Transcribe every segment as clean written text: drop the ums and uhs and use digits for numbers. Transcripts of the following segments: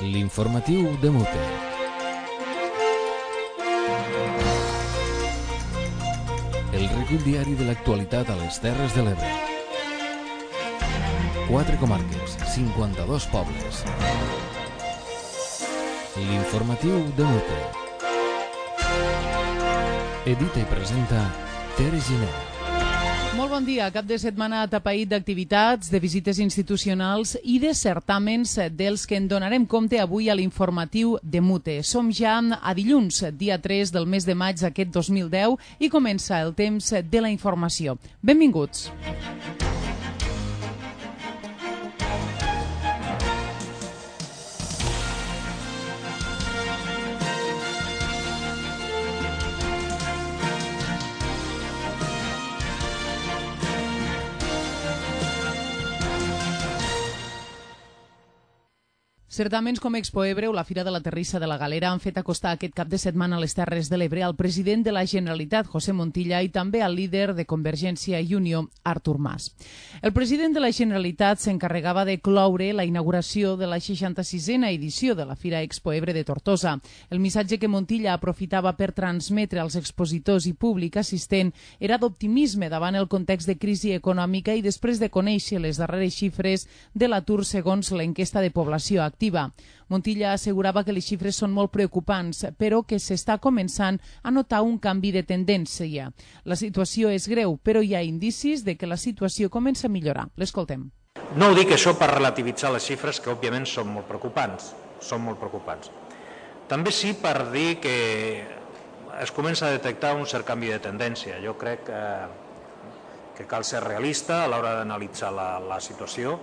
L'informatiu de Mute. El recull diari de l'actualitat a les Terres de l'Ebre. 4 comarques, 52 pobles. L'informatiu de Mute. Edita i presenta Tere Giner. Molt bon dia. Cap de setmana atapeït d'activitats, de visites institucionals i de certàmens dels que en donarem compte avui a l'informatiu de Mute. Som ja a dilluns, dia 3 del mes de maig d'aquest 2010 i comença el temps de la informació. Benvinguts. Certaments com Expo Ebre o la Fira de la Terrissa de la Galera han fet acostar aquest cap de setmana a les Terres de l'Ebre al president de la Generalitat, José Montilla, i també al líder de Convergència i Unió, Artur Mas. El president de la Generalitat s'encarregava de cloure la inauguració de la 66a edició de la Fira Expo Ebre de Tortosa. El missatge que Montilla aprofitava per transmetre als expositors i públic assistent era d'optimisme davant el context de crisi econòmica i després de conèixer les darreres xifres de l'atur segons l'enquesta de població activa. Montilla assegurava que les xifres són molt preocupants, però que s'està començant a notar un canvi de tendència. La situació és greu, però hi ha indicis de que la situació comença a millorar. L'escoltem. No ho dic això per relativitzar les xifres, que òbviament són molt preocupants. També sí per dir que es comença a detectar un cert canvi de tendència. Jo crec que cal ser realista a l'hora d'analitzar la situació,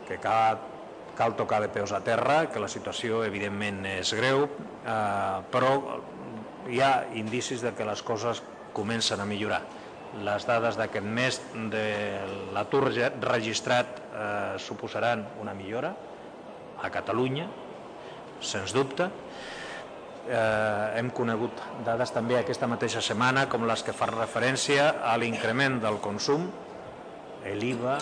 que cal tocar de peus a terra, que la situació evidentment és greu, però hi ha indicis de que les coses comencen a millorar. Les dades d'aquest mes de l'atur registrat suposaran una millora a Catalunya, sens dubte. Hem conegut dades també aquesta mateixa setmana com les que fan referència a l'increment del consum, l'IVA,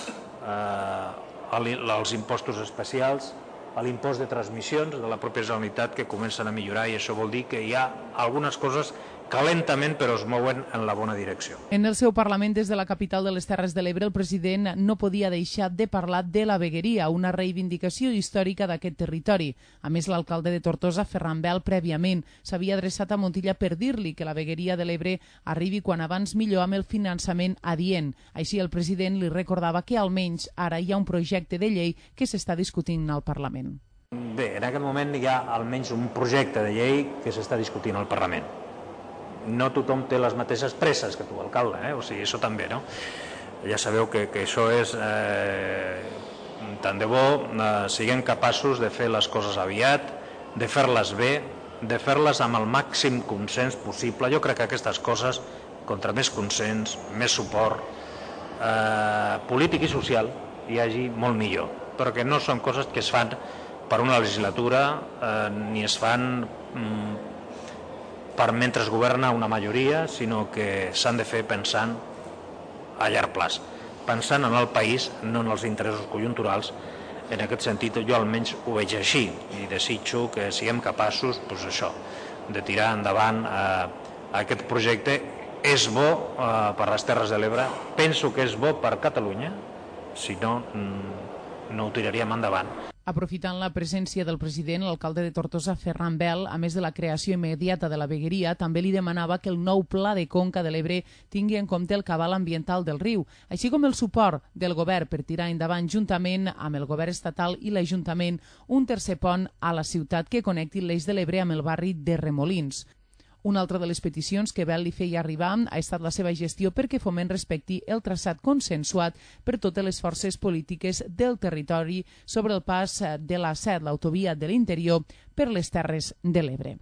als impostos especials, a l'impost de transmissions de la pròpia Generalitat, que comencen a millorar, i això vol dir que hi ha algunes coses que lentament però es mouen en la bona direcció. En el seu Parlament des de la capital de les Terres de l'Ebre, el president no podia deixar de parlar de la vegueria, una reivindicació històrica d'aquest territori. A més, l'alcalde de Tortosa, Ferran Bel, prèviament s'havia adreçat a Montilla per dir-li que la vegueria de l'Ebre arribi quan abans millor amb el finançament adient. Així, el president li recordava que almenys ara hi ha un projecte de llei que s'està discutint al Parlament. Bé, en aquest moment hi ha almenys un projecte de llei que s'està discutint al Parlament. No tothom té les mateixes presses que tu, alcalde, o sigui, això també, no? Ja sabeu que això és... tant de bo siguem capaços de fer les coses aviat, de fer-les bé, de fer-les amb el màxim consens possible. Jo crec que aquestes coses, contra més consens, més suport polític i social, hi hagi molt millor, perquè no són coses que es fan per una legislatura, ni es fan per mentre es governa una majoria, sinó que s'han de fer pensant a llarg plaç, pensant en el país, no en els interessos conjunturals. En aquest sentit, jo almenys ho veig així i desitjo que siguem capaços, de tirar endavant aquest projecte. És bo per les Terres de l'Ebre, penso que és bo per Catalunya, si no, no ho tiraríem endavant. Aprofitant la presència del president, l'alcalde de Tortosa, Ferran Bel, a més de la creació immediata de la vegueria, també li demanava que el nou pla de conca de l'Ebre tingui en compte el cabal ambiental del riu, així com el suport del govern per tirar endavant, juntament amb el govern estatal i l'Ajuntament, un tercer pont a la ciutat que connecti l'Eix de l'Ebre amb el barri de Remolins. Una altra de les peticions que Bel li feia arribar ha estat la seva gestió perquè Foment respecti el traçat consensuat per totes les forces polítiques del territori sobre el pas de l'A7, l'autovia de l'interior, per les Terres de l'Ebre.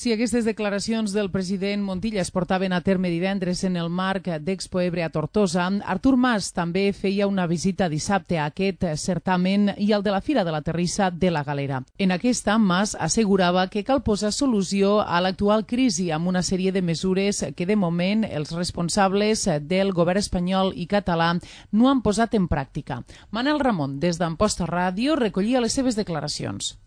Si aquestes declaracions del president Montilla es portaven a terme divendres en el marc d'Expo Ebre a Tortosa, Artur Mas també feia una visita dissabte a aquest certamen i al de la Fira de la Terrissa de la Galera. En aquesta, Mas assegurava que cal posar solució a l'actual crisi amb una sèrie de mesures que de moment els responsables del govern espanyol i català no han posat en pràctica. Manel Ramon, des d'Amposta Ràdio, recollia les seves declaracions.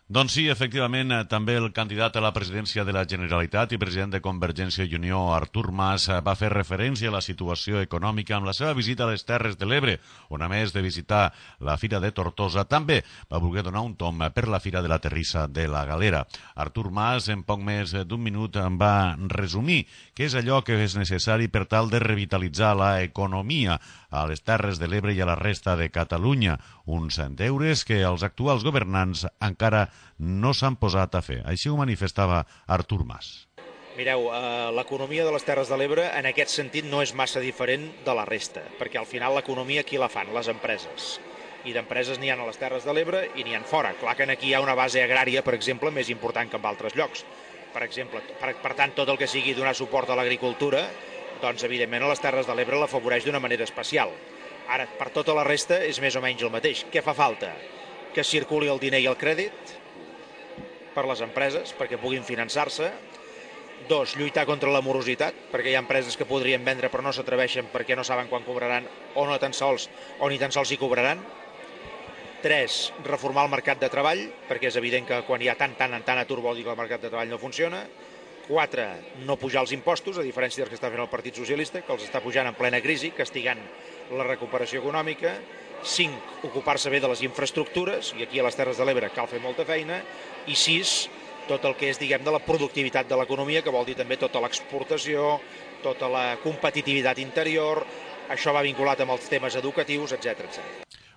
Doncs sí, efectivament, també el candidat a la presidència de la Generalitat i president de Convergència i Unió, Artur Mas, va fer referència a la situació econòmica amb la seva visita a les Terres de l'Ebre, on a més de visitar la Fira de Tortosa, també va voler donar un tom per la Fira de la Terrissa de la Galera. Artur Mas, en poc més d'un minut, va resumir què és allò que és necessari per tal de revitalitzar l'economia a les Terres de l'Ebre i a la resta de Catalunya, uns deures que els actuals governants encara no s'han posat a fer. Així ho manifestava Artur Mas. Mireu, l'economia de les Terres de l'Ebre en aquest sentit no és massa diferent de la resta, perquè al final l'economia qui la fan? Les empreses. I d'empreses n'hi ha a les Terres de l'Ebre i n'hi ha fora. Clar que aquí hi ha una base agrària, per exemple, més important que en altres llocs. Per exemple, per tant, tot el que sigui donar suport a l'agricultura, doncs evidentment a les Terres de l'Ebre l'afavoreix d'una manera especial. Ara, per tota la resta és més o menys el mateix. Què fa falta? Que circuli el diner i el crèdit per les empreses, perquè puguin finançar-se. 2, lluitar contra la morositat, perquè hi ha empreses que podrien vendre però no s'atreveixen perquè no saben quan cobraran o ni tan sols hi cobraran. 3, reformar el mercat de treball, perquè és evident que quan hi ha tant atur vol dir que el mercat de treball no funciona. 4, no pujar els impostos, a diferència dels que està fent el Partit Socialista, que els està pujant en plena crisi, castigant la recuperació econòmica. 5, ocupar-se bé de les infraestructures, i aquí a les Terres de l'Ebre cal fer molta feina. I 6, tot el que és, diguem, de la productivitat de l'economia, que vol dir també tota l'exportació, tota la competitivitat interior, això va vinculat amb els temes educatius, etc.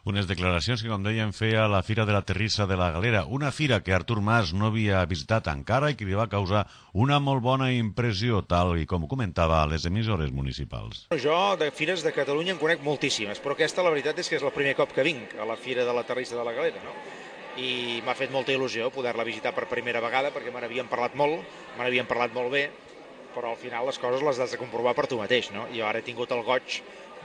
Unes declaracions que, com dèiem, feia la Fira de la Terrissa de la Galera, una fira que Artur Mas no havia visitat encara i que li va causar una molt bona impressió, tal i com comentava a les emissores municipals. Jo de fires de Catalunya en conec moltíssimes, però aquesta la veritat és que és el primer cop que vinc a la Fira de la Terrissa de la Galera, no? I m'ha fet molta il·lusió poder-la visitar per primera vegada, perquè me n'havien parlat molt bé, però al final les coses les has de comprovar per tu mateix, no? Jo ara he tingut el goig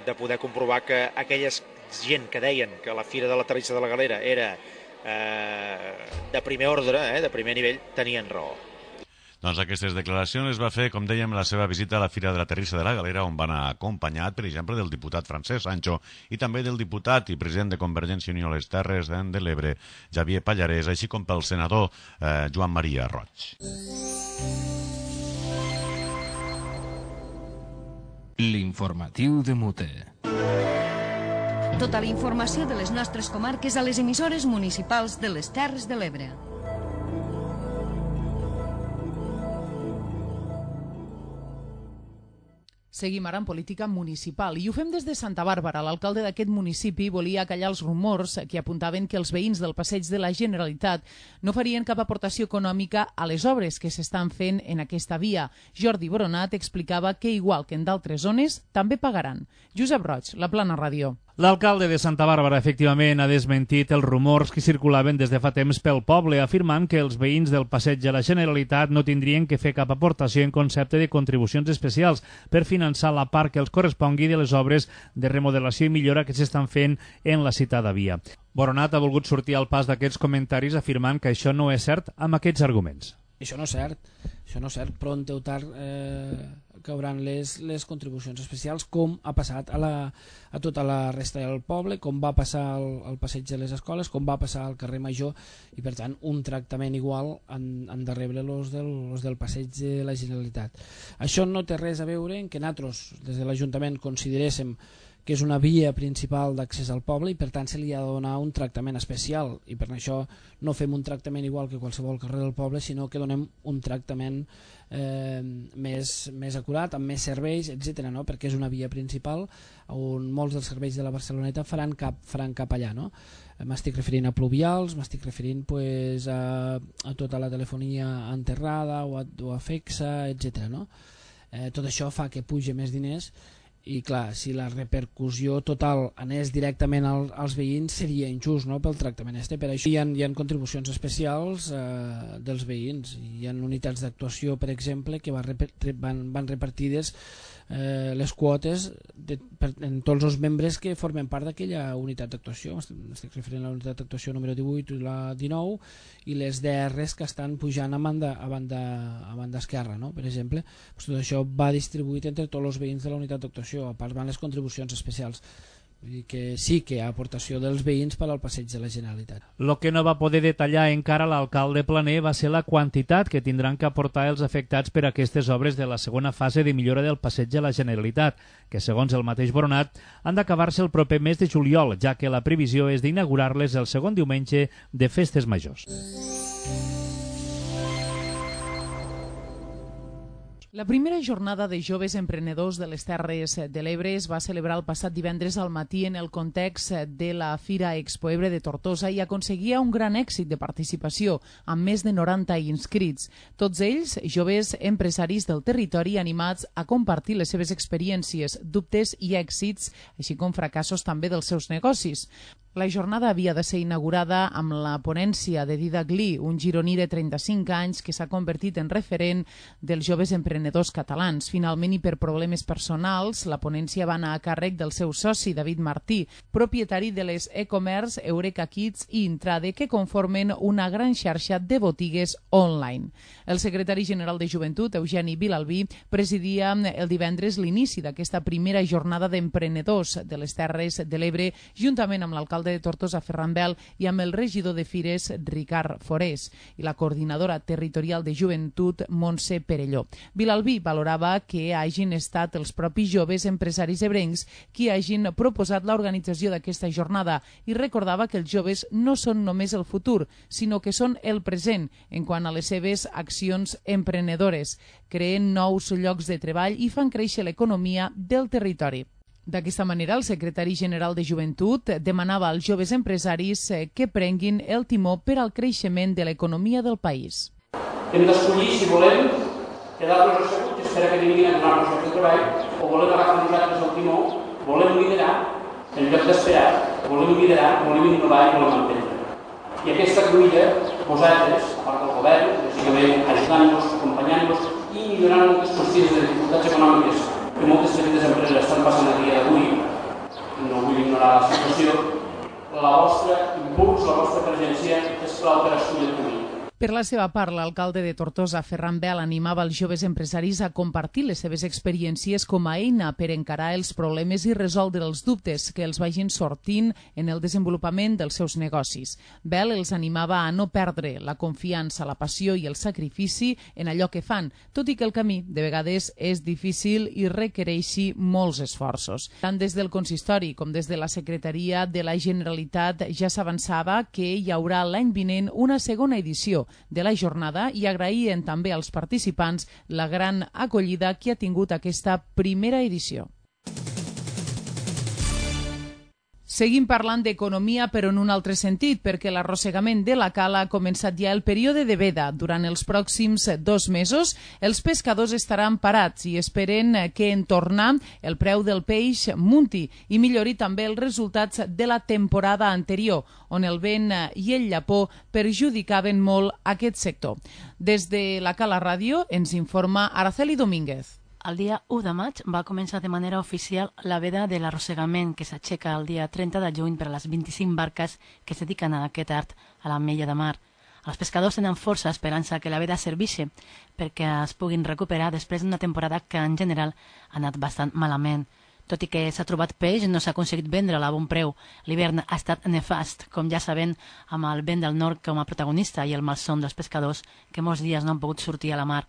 de poder comprovar que aquelles gent que deien que la Fira de la Terrissa de la Galera era de primer ordre, de primer nivell, tenien raó. Doncs aquestes declaracions les va fer, com dèiem, la seva visita a la Fira de la Terrissa de la Galera, on va anar acompanyat, per exemple, del diputat Francesc Sancho i també del diputat i president de Convergència i Unió a les Terres de l'Ebre, Javier Pallarès, així com pel senador Joan Maria Roig. L'informatiu de Mute. Tota la informació de les nostres comarques a les emissores municipals de les Terres de l'Ebre. Seguim ara en política municipal i ho fem des de Santa Bàrbara. L'alcalde d'aquest municipi volia callar els rumors que apuntaven que els veïns del passeig de la Generalitat no farien cap aportació econòmica a les obres que s'estan fent en aquesta via. Jordi Boronat explicava que, igual que en d'altres zones, també pagaran. Josep Roig, La Plana Ràdio. L'alcalde de Santa Bàrbara, efectivament, ha desmentit els rumors que circulaven des de fa temps pel poble, afirmant que els veïns del passeig de la Generalitat no tindrien que fer cap aportació en concepte de contribucions especials per finançar la part que els correspongui de les obres de remodelació i millora que s'estan fent en la citada via. Boronat ha volgut sortir al pas d'aquests comentaris afirmant que això no és cert amb aquests arguments. Això no és cert, pront o tard cauran les contribucions especials, com ha passat a tota la resta del poble, com va passar al passeig de les escoles, com va passar al carrer Major, i per tant un tractament igual han de rebre los del passeig de la Generalitat. Això no té res a veure en que nosaltres des de l'Ajuntament consideréssim que és una via principal d'accés al poble i per tant se li ha de donar un tractament especial, i per això no fem un tractament igual que qualsevol carrer del poble, sinó que donem un tractament més acurat, amb més serveis, etc., no? Perquè és una via principal on molts dels serveis de la Barceloneta faran cap allà, no? M'estic referint a pluvials, m'estic referint a tota la telefonia enterrada o a FEXA, etc., no? Tot això fa que puja més diners I clar, si la repercussió total anés directament als veïns seria injust, no?, pel tractament este. Per això hi ha contribucions especials dels veïns. Hi ha unitats d'actuació, per exemple, que van repartides les quotes en tots els membres que formen part d'aquella unitat d'actuació. Estic referint a la unitat d'actuació número 18 i la 19, i les DRs que estan pujant a banda esquerra, no?, per exemple. Tot això va distribuït entre tots els veïns de la unitat d'actuació. A part van les contribucions especials. Vull dir que sí que hi ha aportació dels veïns per al passeig de la Generalitat. Lo que no va poder detallar encara l'alcalde Planer va ser la quantitat que tindran que aportar els afectats per aquestes obres de la segona fase de millora del passeig de la Generalitat, que segons el mateix Boronat han d'acabar-se el proper mes de juliol, ja que la previsió és d'inaugurar-les el segon diumenge de festes majors. La primera jornada de joves emprenedors de les Terres de l'Ebre es va celebrar el passat divendres al matí en el context de la Fira Expoebre de Tortosa i aconseguia un gran èxit de participació, amb més de 90 inscrits. Tots ells, joves empresaris del territori animats a compartir les seves experiències, dubtes i èxits, així com fracassos també dels seus negocis. La jornada havia de ser inaugurada amb la ponència de Didac Lee, un gironí de 35 anys que s'ha convertit en referent dels joves emprenedors catalans. Finalment, i per problemes personals, la ponència va anar a càrrec del seu soci, David Martí, propietari de les e-commerce Eureka Kids i Intrade, que conformen una gran xarxa de botigues online. El secretari general de Joventut, Eugeni Vilalbí, presidia el divendres l'inici d'aquesta primera jornada d'emprenedors de les Terres de l'Ebre, juntament amb l'alcalde de Tortosa, Ferran Bel, i amb el regidor de Fires, Ricard Forés, i la coordinadora territorial de Joventut, Montse Perelló. Vilalbí valorava que hagin estat els propis joves empresaris ebrencs qui hagin proposat l'organització d'aquesta jornada i recordava que els joves no són només el futur, sinó que són el present en quant a les seves accions emprenedores. Creen nous llocs de treball i fan créixer l'economia del territori. D'aquesta manera, el secretari general de Joventut demanava als joves empresaris que prenguin el timó per al creixement de l'economia del país. Hem d'escollir si volem quedar-nos asseguts i esperar que vinguin a donar-nos el treball, o volem agafar nosaltres el timó, volem liderar en lloc d'esperar, volem liderar, volem innovar i volem emprendre. I aquesta cruïlla, vosaltres, a part del govern, bàsicament ajudant-nos, acompanyant-nos i millorant moltes qüestions de dificultats econòmiques que moltes petites empreses estan passant a dia d'avui, no vull ignorar la situació, la vostra impuls, la vostra presència és clau per escollir el camí. Per la seva part, l'alcalde de Tortosa, Ferran Bel, animava els joves empresaris a compartir les seves experiències com a eina per encarar els problemes i resoldre els dubtes que els vagin sortint en el desenvolupament dels seus negocis. Bel els animava a no perdre la confiança, la passió i el sacrifici en allò que fan, tot i que el camí de vegades és difícil i requereixi molts esforços. Tant des del consistori com des de la Secretaria de la Generalitat ja s'avançava que hi haurà l'any vinent una segona edició de la jornada i agraïen també als participants la gran acollida que ha tingut aquesta primera edició. Seguim parlant d'economia, però en un altre sentit, perquè l'arrossegament de la cala ha començat ja el període de veda. Durant els pròxims 2 mesos, els pescadors estaran parats i esperen que en tornar el preu del peix munti i millori també els resultats de la temporada anterior, on el vent i el llapó perjudicaven molt aquest sector. Des de la Cala Ràdio ens informa Araceli Domínguez. El dia 1 de maig va començar de manera oficial la veda de l'arrossegament que s'aixeca el dia 30 de juny per a les 25 barques que es dediquen a aquest art a l'Ametlla de Mar. Els pescadors tenen força esperança que la veda serveixi perquè es puguin recuperar després d'una temporada que en general ha anat bastant malament. Tot i que s'ha trobat peix, no s'ha aconseguit vendre-la a bon preu. L'hivern ha estat nefast, com ja sabem, amb el vent del nord com a protagonista i el malson dels pescadors que molts dies no han pogut sortir a la mar.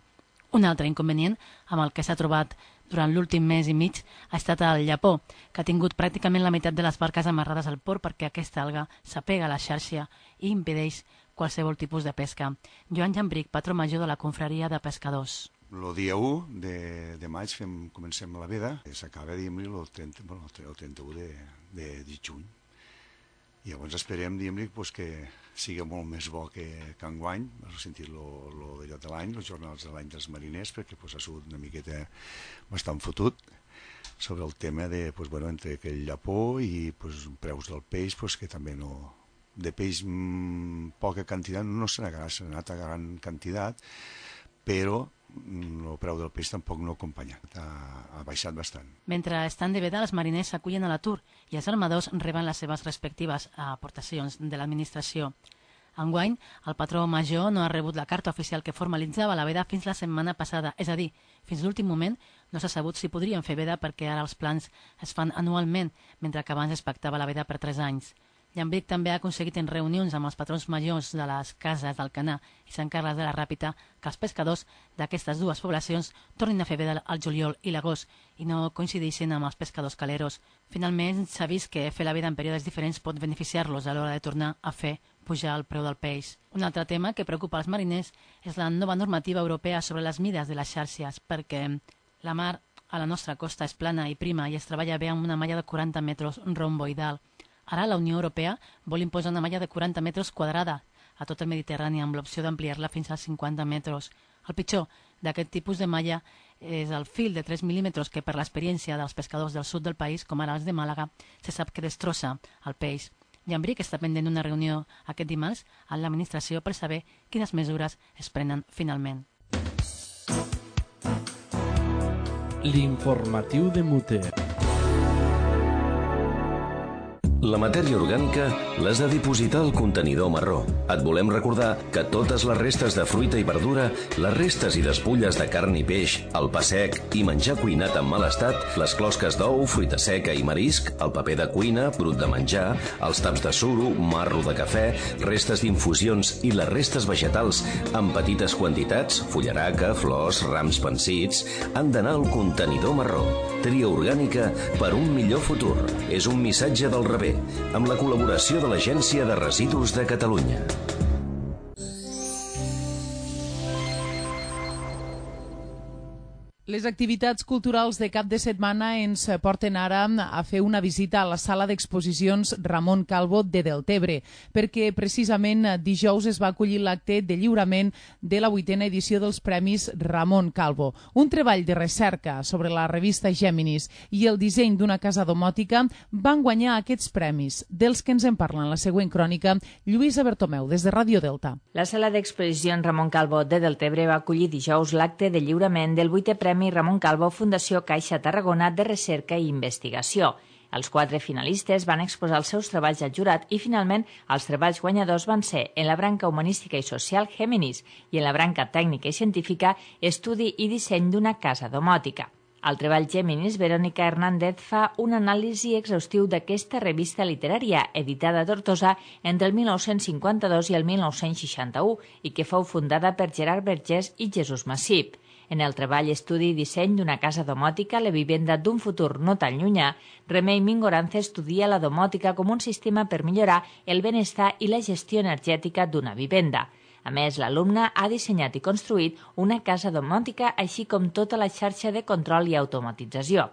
Un altre inconvenient amb el que s'ha trobat durant l'últim mes i mig ha estat el llapó, que ha tingut pràcticament la meitat de les barques amarrades al port perquè aquesta alga s'apega a la xarxa i impedeix qualsevol tipus de pesca. Joan Jambric, patró major de la confraria de pescadors. El dia 1 de maig comencem la veda, s'acaba el 31 de juny. I llavors esperem que sigui molt més bo que enguany, has sentit d'allò de l'any, els jornals de l'any dels mariners, perquè ha sigut una miqueta bastant fotut. sobre el tema de, entre aquell llapó i preus del peix, que també no... De peix poca quantitat, no se n'ha anat a gran quantitat, però el preu del peix tampoc no acompanya, ha baixat bastant. Mentre estan de veda, els mariners s'acullen a l'atur i els armadors reben les seves respectives aportacions de l'administració. Enguany, el patró major no ha rebut la carta oficial que formalitzava la veda fins la setmana passada, és a dir, fins l'últim moment no s'ha sabut si podrien fer veda perquè ara els plans es fan anualment, mentre que abans es pactava la veda per 3 anys. Llambric també ha aconseguit en reunions amb els patrons majors de les cases d'Alcanar i Sant Carles de la Ràpita que els pescadors d'aquestes dues poblacions tornin a fer veda al juliol i l'agost i no coincideixin amb els pescadors caleros. Finalment, s'ha vist que fer la veda en períodes diferents pot beneficiar-los a l'hora de tornar a fer pujar el preu del peix. Un altre tema que preocupa els mariners és la nova normativa europea sobre les mides de les xarxes, perquè la mar a la nostra costa és plana i prima i es treballa bé amb una malla de 40 metres romboidal. Ara la Unió Europea vol imposar una malla de 40 metres quadrada a tot el Mediterrani amb l'opció d'ampliar-la fins als 50 metres. El pitjor d'aquest tipus de malla és el fil de 3 mil·límetres que per l'experiència dels pescadors del sud del país, com ara els de Màlaga, se sap que destrossa el peix. Llambric està pendent d'una reunió aquest dimarts amb l'administració per saber quines mesures es prenen finalment. L'informatiu de Muter. La matèria orgànica l'has de dipositar al contenidor marró. Et volem recordar que totes les restes de fruita i verdura, les restes i despulles de carn i peix, el pa sec i menjar cuinat en mal estat, les closques d'ou, fruita seca i marisc, el paper de cuina, brut de menjar, els taps de suro, marro de cafè, restes d'infusions i les restes vegetals en petites quantitats, fullaraca, flors, rams pansits, han d'anar al contenidor marró. Tria orgànica per un millor futur. És un missatge del rebé, amb la col·laboració de l'Agència de Residus de Catalunya. Les activitats culturals de cap de setmana ens porten ara a fer una visita a la sala d'exposicions Ramon Calvo de Deltebre, perquè precisament dijous es va acollir l'acte de lliurament de la 8a edició dels Premis Ramon Calvo. Un treball de recerca sobre la revista Géminis i el disseny d'una casa domòtica van guanyar aquests premis, dels que ens en parla en la següent crònica Lluïsa Bertomeu, des de Ràdio Delta. La sala d'exposicions Ramon Calvo de Deltebre va acollir dijous l'acte de lliurament del 8è Premi Ramon Calvo Fundació Caixa Tarragona de Recerca i Investigació. Els 4 finalistes van exposar els seus treballs al jurat i, finalment, els treballs guanyadors van ser en la branca humanística i social Géminis i en la branca tècnica i científica Estudi i disseny d'una casa domòtica. Al treball Géminis, Verónica Hernández fa un anàlisi exhaustiu d'aquesta revista literària, editada a Tortosa entre el 1952 i el 1961 i que fou fundada per Gerard Vergés i Jesús Massip. En el treball Estudi i disseny d'una casa domòtica, la vivenda d'un futur no tan llunyà, Remei Mingorance estudia la domòtica com un sistema per millorar el benestar i la gestió energètica d'una vivenda. A més, l'alumne ha dissenyat i construït una casa domòtica, així com tota la xarxa de control i automatització.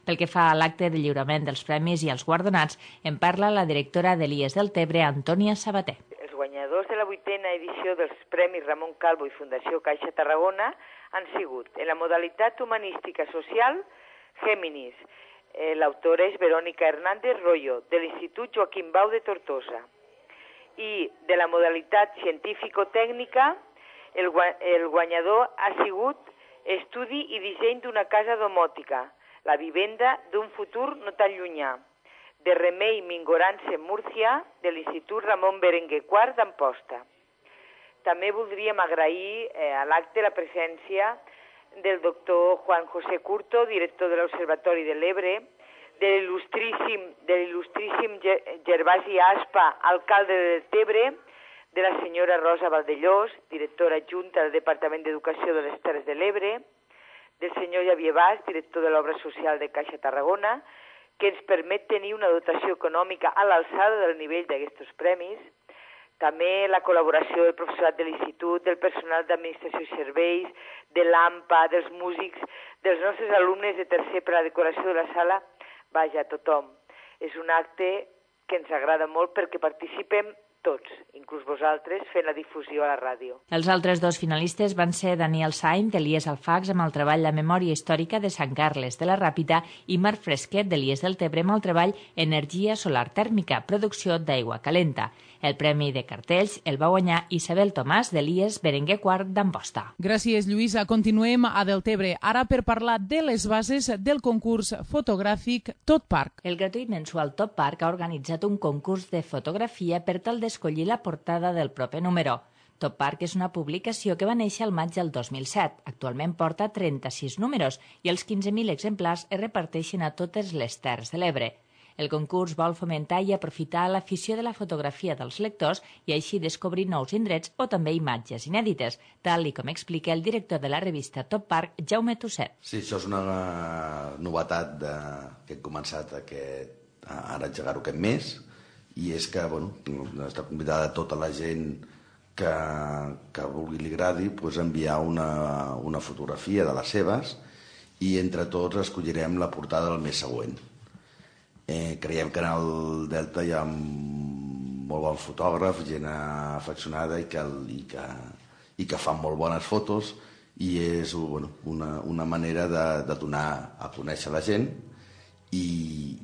Pel que fa a l'acte de lliurament dels premis i els guardonats, en parla la directora de l'IES Deltebre, Antònia Sabater. Els guanyadors de la 8a edició dels Premis Ramon Calvo i Fundació Caixa Tarragona han sigut, en la modalitat humanística social, Géminis. L'autora és Verónica Hernández Royo, de l'Institut Joaquim Bau de Tortosa. I de la modalitat científico-tècnica, el guanyador ha sigut Estudi i disseny d'una casa domòtica, la vivenda d'un futur no tan llunyà, de Remei Mingorance Múrcia, de l'Institut Ramon Berenguer IV d'Amposta. També voldríem agrair a l'acte la presència del doctor Juan José Curto, director de l'Observatori de l'Ebre, de l'il·lustríssim Gervasi Aspa, alcalde de Deltebre, de la senyora Rosa Valdellós, directora adjunta del Departament d'Educació de les Terres de l'Ebre, del senyor Javier Bas, director de l'Obra Social de Caixa Tarragona, que ens permet tenir una dotació econòmica a l'alçada del nivell d'aquests premis. També la col·laboració del professorat de l'Institut, del personal d'Administració i Serveis, de l'AMPA, dels músics, dels nostres alumnes de tercer per a la decoració de la sala, vaja, tothom. És un acte que ens agrada molt perquè participem tots, inclús vosaltres, fent la difusió a la ràdio. Els altres dos finalistes van ser Daniel Sainz, d'Elies Alfax, amb el treball La memòria històrica de Sant Carles de la Ràpita, i Marc Fresquet, d'Elies del Tebre, amb el treball Energia solar tèrmica, producció d'aigua calenta. El premi de cartells el va guanyar Isabel Tomàs, d'Elies Berenguer IV d'Amposta. Gràcies, Lluïsa. Continuem a Deltebre, ara per parlar de les bases del concurs fotogràfic Tot Parc. El gratuït mensual Tot Parc ha organitzat un concurs de fotografia per tal d'escollir la portada del proper número. Tot Parc és una publicació que va néixer al maig del 2007. Actualment porta 36 números i els 15.000 exemplars es reparteixen a totes les Terres de l'Ebre. El concurs vol fomentar i aprofitar l'afició de la fotografia dels lectors i així descobrir nous indrets o també imatges inèdites, tal i com explica el director de la revista Tot Parc, Jaume Tusset. Sí, això és una novetat que hem començat ara a engegar-ho aquest mes, i és que està convidada tota la gent que vulgui li agradi enviar una fotografia de les seves i entre tots escollirem la portada del mes següent. Creiem que en el Delta hi ha molt bons fotògrafs, gent afeccionada i que fan molt bones fotos, i és una manera de donar a conèixer la gent, i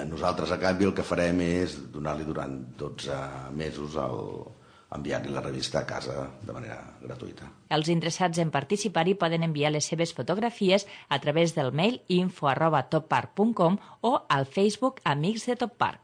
a nosaltres a canvi el que farem és donar-li durant 12 mesos enviar-li la revista a casa de manera gratuïta. Els interessats en participar-hi poden enviar les seves fotografies a través del mail info@toppark.com o al Facebook Amics de Tot Parc.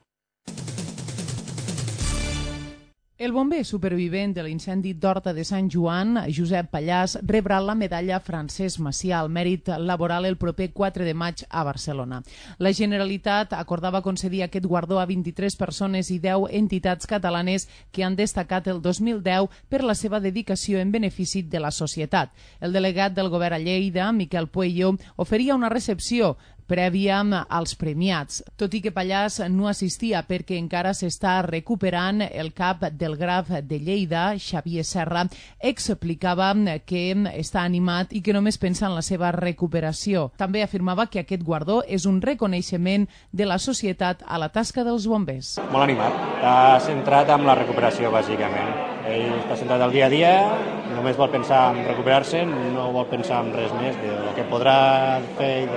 El bomber supervivent de l'incendi d'Horta de Sant Joan, Josep Pallàs, rebrà la medalla Francesc Macià al mèrit laboral el proper 4 de maig a Barcelona. La Generalitat acordava concedir aquest guardó a 23 persones i 10 entitats catalanes que han destacat el 2010 per la seva dedicació en benefici de la societat. El delegat del govern a Lleida, Miquel Puello, oferia una recepció prèvia als premiats, tot i que Pallàs no assistia perquè encara s'està recuperant. El cap del Graf de Lleida, Xavier Serra, explicava que està animat i que només pensa en la seva recuperació. També afirmava que aquest guardó és un reconeixement de la societat a la tasca dels bombers. Molt animat, està centrat en la recuperació, bàsicament. Ell està centrat al dia a dia, només vol pensar en recuperar-se, no vol pensar en res més del que podrà fer i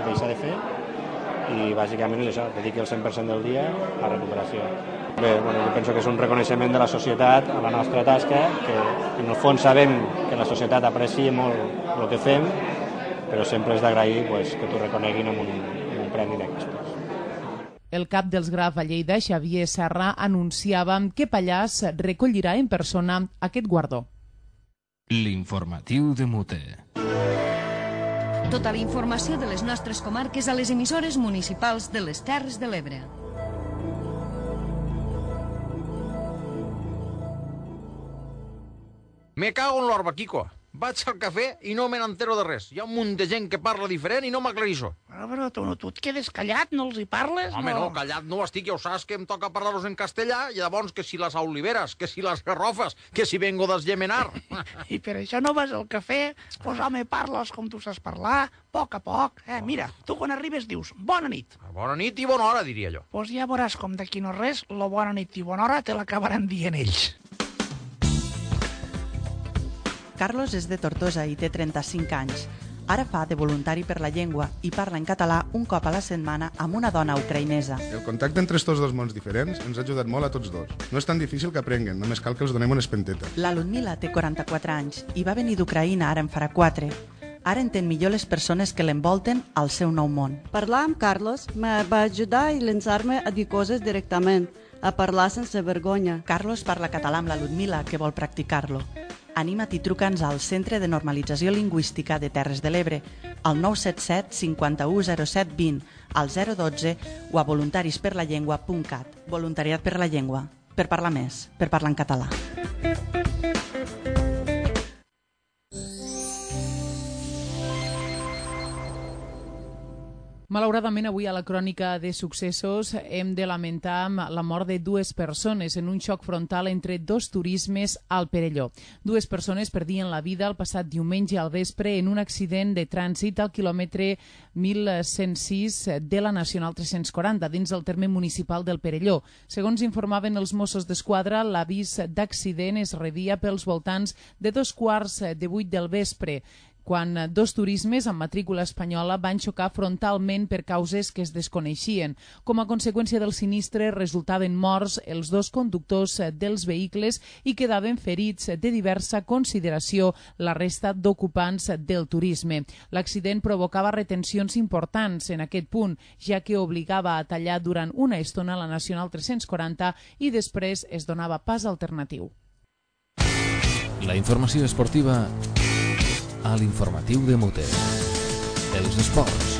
deixar de fer, i bàsicament és això, dediqui el 100% del dia a recuperació. Bé, jo penso que és un reconeixement de la societat a la nostra tasca, que en el fons sabem que la societat aprecia molt el que fem, però sempre és d'agrair que t'ho reconeguin amb un premi d'aquestos. El cap dels Graf a Lleida, Xavier Serra, anunciava que Pallàs recollirà en persona aquest guardó. L'informatiu de Mute. Tota la informació de les nostres comarques a les emissores municipals de les Terres de l'Ebre. Me cago en l'orbaquico. Vaig al cafè i no me n'entero de res. Hi ha un munt de gent que parla diferent i no m'aclarixo. Però tu et quedes callat, no els hi parles? Home, no, callat no estic, ja ho saps que em toca parlar-los en castellà, i llavors que si les oliveres, que si les garrofes, que si vengo d'Esgemenar. I per això no vas al cafè? Pues home, parles com tu saps parlar, a poc. Mira, tu quan arribes dius bona nit. Bona nit i bona hora, diria jo. Pues ja veuràs com d'aquí no res, la bona nit i bona hora te l'acabaran dient ells. Carlos és de Tortosa i té 35 anys. Ara fa de voluntari per la llengua i parla en català un cop a la setmana amb una dona ucraïnesa. El contacte entre estos dos mons diferents ens ha ajudat molt a tots dos. No és tan difícil que aprenguen, només cal que els donem una espenteta. La Ludmila té 44 anys i va venir d'Ucraïna ara en farà 4. Ara entén millor les persones que l'envolten al seu nou món. Parlar amb Carlos me va ajudar a llançar-me a dir coses directament, a parlar sense vergonya. Carlos parla català amb la Ludmila, que vol practicar-lo. Anima't i truca'ns al Centre de Normalització Lingüística de Terres de l'Ebre, al 977 51 07 20, al 012 o a voluntarisperlallengua.cat. Voluntariat per la llengua, per parlar més, per parlar en català. Malauradament, avui a la crònica de successos hem de lamentar la mort de dues persones en un xoc frontal entre dos turismes al Perelló. Dues persones perdien la vida el passat diumenge al vespre en un accident de trànsit al quilòmetre 1106 de la Nacional 340 dins el terme municipal del Perelló. Segons informaven els Mossos d'Esquadra, l'avís d'accident es rebia pels voltants de 7:15 del vespre, quan dos turismes amb matrícula espanyola van xocar frontalment per causes que es desconeixien. Com a conseqüència del sinistre, resultaven morts els dos conductors dels vehicles i quedaven ferits de diversa consideració la resta d'ocupants del turisme. L'accident provocava retencions importants en aquest punt, ja que obligava a tallar durant una estona la Nacional 340 i després es donava pas alternatiu. La informació esportiva a l'informatiu de Mute. Els esports.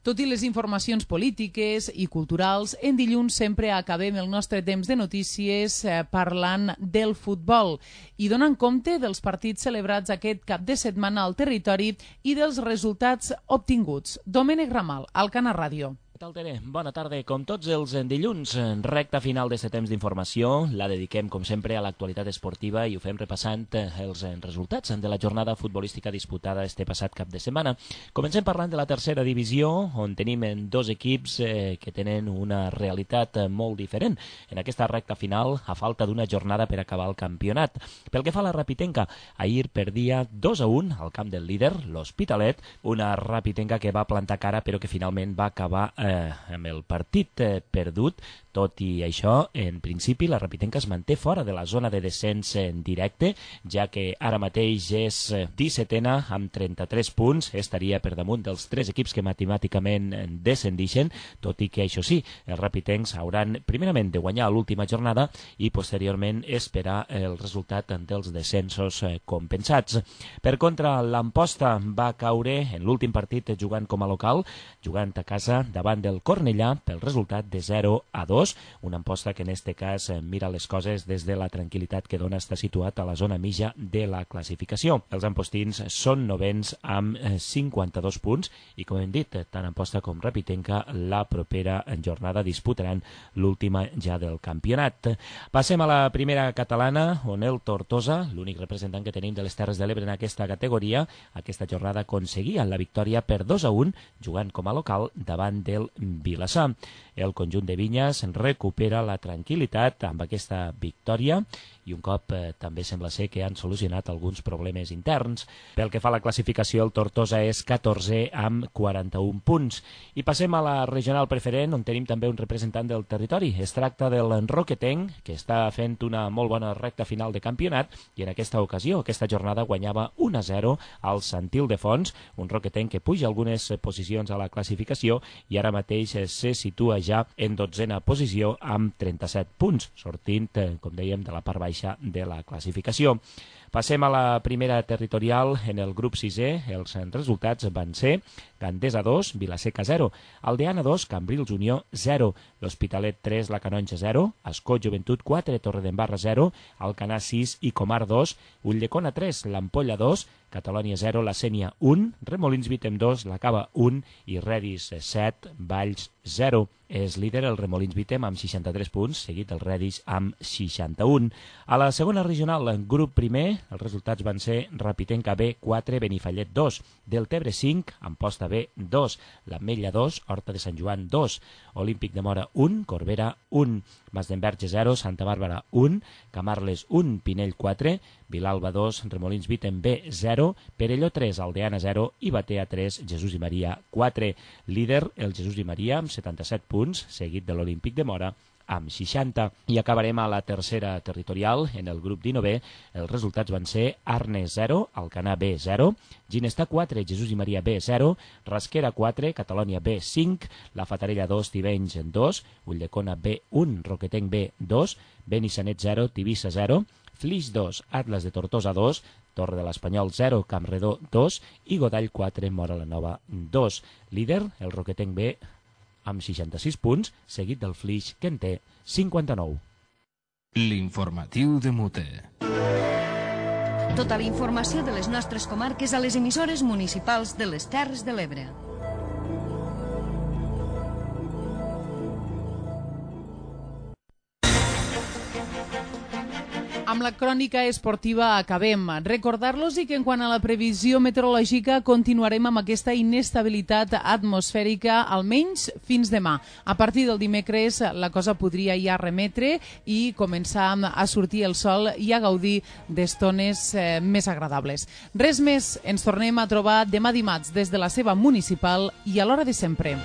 Tot i les informacions polítiques i culturals, en dilluns sempre acabem el nostre temps de notícies parlant del futbol i donant compte dels partits celebrats aquest cap de setmana al territori i dels resultats obtinguts. Domènec Ramal, Alcana Ràdio. Tere, bona tarda. Com tots els dilluns, recta final d'aquest temps d'informació, la dediquem, com sempre, a l'actualitat esportiva i ho fem repassant els resultats de la jornada futbolística disputada este passat cap de setmana. Comencem parlant de la tercera divisió, on tenim dos equips que tenen una realitat molt diferent en aquesta recta final, a falta d'una jornada per acabar el campionat. Pel que fa a la Rapitenca, ahir perdia 2-1 al camp del líder, l'Hospitalet, una Rapitenca que va plantar cara però que finalment va acabar amb el partit perdut. Tot i això, en principi, la Rapitenca es manté fora de la zona de descens en directe, ja que ara mateix és 17a amb 33 punts, estaria per damunt dels 3 equips que matemàticament descendixen, tot i que, això sí, els rapitencs hauran primerament de guanyar l'última jornada i posteriorment esperar el resultat dels descensos compensats. Per contra, l'Amposta va caure en l'últim partit jugant com a local, jugant a casa davant del Cornellà pel resultat de 0-2, una Amposta que en este cas mira les coses des de la tranquil·litat que dona estar situat a la zona mitja de la classificació. Els ampostins són novens amb 52 punts i, com hem dit, tant Amposta com Rapitenca la propera jornada disputaran l'última ja del campionat. Passem a la primera catalana, on el Tortosa, l'únic representant que tenim de les Terres de l'Ebre en aquesta categoria, aquesta jornada aconseguia la victòria per 2-1, jugant com a local davant del Vilassar. El conjunt de Vinyes recupera la tranquil·litat amb aquesta victòria i un cop també sembla ser que han solucionat alguns problemes interns. Pel que fa a la classificació, el Tortosa és 14 amb 41 punts. I passem a la regional preferent, on tenim també un representant del territori. Es tracta del Roquetenc, que està fent una molt bona recta final de campionat i en aquesta ocasió, aquesta jornada, guanyava 1-0 al Sant Ildefons, un Roquetenc que puja algunes posicions a la classificació i ara mateix se situa ja en 12a posició amb 37 punts, sortint, com dèiem, de la part baixa de la classificació. Passem a la primera territorial. En el grup 6è, els resultats van ser Gandesa 2, Vilaseca 0, Aldeana 2, Cambrils Unió 0, l'Hospitalet 3, la Canonja 0, Ascó Joventut 4, Torredembarra 0, Alcanar 6 i Comar 2, Ulldecona 3, l'Ampolla 2, Catalònia 0, la Sénia 1, Remolins Vitem 2, la Cava 1 i Redis 7, Valls 0. És líder el Remolins Vitem amb 63 punts, seguit el Redis amb 61. A la segona regional, grup primer, els resultats van ser Rapitenca B 4, Benifallet 2, Deltebre 5, Amposta B 2, l'Ametlla 2, Horta de Sant Joan 2, Olímpic de Mora 1, Corbera 1, Masdenverge 0, Santa Bàrbara 1, Camarles 1, Pinell 4, Vilalba 2, Remolins Vitem B 0, Perelló 3, Aldeana 0 i Batea 3, Jesús i Maria 4. Líder el Jesús i Maria amb 77 punts, seguit de l'Olímpic de Mora amb 60. I acabarem a la tercera territorial. En el grup 19, els resultats van ser Arnes 0, Alcanar B 0, Ginestà 4, Jesús i Maria B 0, Rasquera 4, Catalònia B 5, La Fatarella 2, Tivenys 2, Ulldecona B 1, Roquetenc B 2, Benissanet 0, Tivissa 0, Flix 2, Atlas de Tortosa 2, Torre de l'Espanyol 0, Campredó 2 i Godall 4, Móra la Nova 2. Líder, el Roquetenc B amb 66 punts, seguit del Flix, que en té 59. L'informatiu de Mute. Tota la informació de les nostres comarques a les emissores municipals de les Terres de l'Ebre. Amb la crònica esportiva acabem. Recordar-los que en quant a la previsió meteorològica continuarem amb aquesta inestabilitat atmosfèrica almenys fins demà. A partir del dimecres la cosa podria ja remetre i començar a sortir el sol i a gaudir d'estones més agradables. Res més, ens tornem a trobar demà dimarts des de la seva municipal i a l'hora de sempre.